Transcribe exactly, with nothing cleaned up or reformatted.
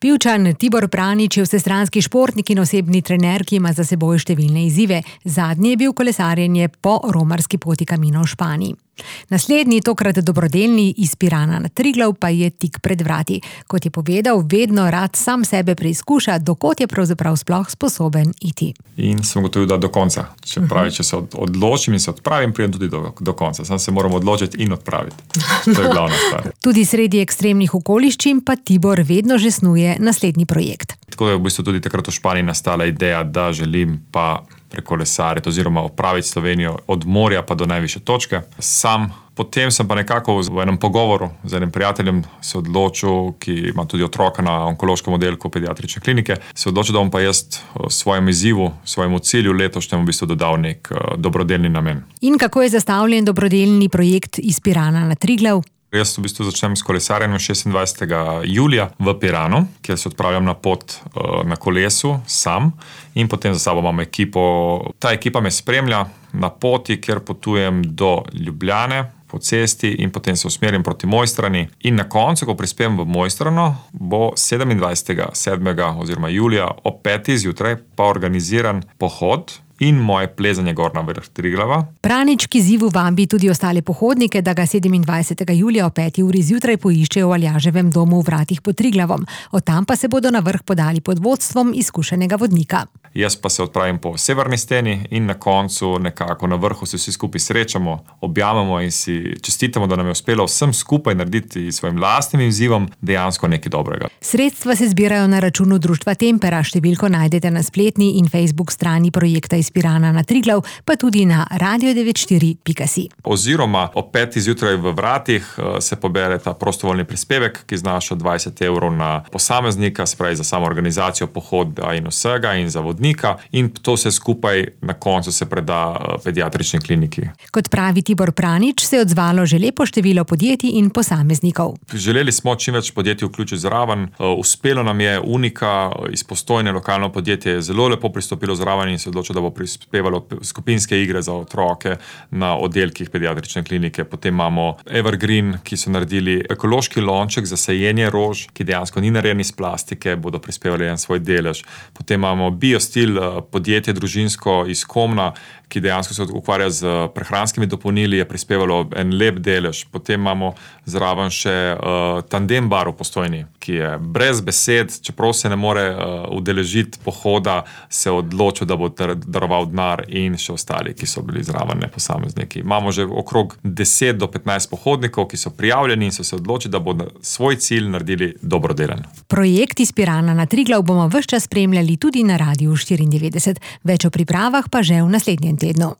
Pivčan Tibor Pranič je vsestranski športnik in osebni trener, ki ima za seboj številne izzive. Zadnji je bil kolesarjenje po romarski poti Camino v Španiji. Naslednji, tokrat dobrodelni iz Pirana na Triglav, pa je tik pred vrati. Kot je povedal, vedno rad sam sebe preizkuša, dokot je pravzaprav sploh sposoben iti. In sem gotovil, da do konca. Če, pravi, če se odločim in se odpravim, pridem tudi do, do konca. Sam se moram odločiti in odpraviti. To je glavna stvar. Tudi sredi ekstremnih okoliščin pa Tibor vedno že snuje naslednji projekt. Tako je v bistvu tudi takrat v Španiji nastala ideja, da želim pa prekolesariti oziroma opraviti Slovenijo od morja pa do najvišje točke. Sam, potem sem pa nekako v enem pogovoru z enim prijateljem se odločil, ki ima tudi otroka na onkološkem oddelku pediatrične klinike, se odločil, da bom pa jaz svojemu izzivu, svojemu cilju letošnjemu v bistvu dodal nek dobrodelni namen. In kako je zastavljen dobrodelni projekt iz Pirana na Triglav? Jaz v bistvu začnem s kolesarjenjem šestindvajsetega julija v Piranu, kjer se odpravljam na pot na kolesu sam in potem za sabo imam ekipo. Ta ekipa me spremlja na poti, kjer potujem do Ljubljane po cesti in potem se usmerim proti Mojstrani. In na koncu, ko prispem v Mojstrano, bo sedemindvajsetega sedmega oziroma julija ob petih zjutraj pa organiziran pohod in moje plezanje gor na vrh Triglava. Pranič k izzivu vabi tudi ostale pohodnike, da ga sedemindvajsetega julija ob peti uri zjutraj poiščejo v Aljaževem domu v Vratih pod Triglavom. Od tam pa se bodo na vrh podali pod vodstvom izkušenega vodnika. Jaz pa se odpravim po severni steni in na koncu nekako na vrhu se vsi skupaj srečamo, objamemo in si čestitamo, da nam je uspelo vsem skupaj narediti svojim lastnim izzivom dejansko nekaj dobrega. Sredstva se zbirajo na računu društva Tempera, številko najdete na spletni in Facebook strani projekta iz Pirana na Triglav, pa tudi na radio devet štiri pika si. Oziroma ob petih zjutraj v Vratih se pobere ta prostovoljni prispevek, ki znaša dvajset evrov na posameznika, se pravi za samo organizacijo pohoda in vsega in za vodnika, in to vse skupaj na koncu se preda pediatrični kliniki. Kot pravi Tibor Pranič, se je odzvalo že lepo število podjetij in posameznikov. Želeli smo čim več podjetij vključiti zraven. Uspelo nam je Unika iz Postojne, lokalno podjetje, zelo lepo pristopilo zraven in se odločilo, da bo prispevalo skupinske igre za otroke na oddelkih pediatrične klinike. Potem imamo Evergreen, ki so naredili ekološki lonček za sajenje rož, ki dejansko ni narejen iz plastike, bodo prispevali en svoj delež. Potem imamo Biostil, podjetje družinsko iz Komna, ki dejansko se ukvarja z prehranskimi dopolnili, je prispevalo en lep delež. Potem imamo zraven še uh, Tandem bar v Postojni, ki je brez besed, čeprav se ne more uh, udeležiti pohoda, se odločil, da bo daroval denar, in še ostali, ki so bili zraven posamezniki. Imamo že okrog deset do petnajst pohodnikov, ki so prijavljeni in so se odločili, da bodo svoj cilj naredili dobrodelen. Projekt iz Pirana na Triglav bomo ves čas spremljali tudi na Radiu štiriindevetdeset. Več o pripravah pa že v naslednjem tednu.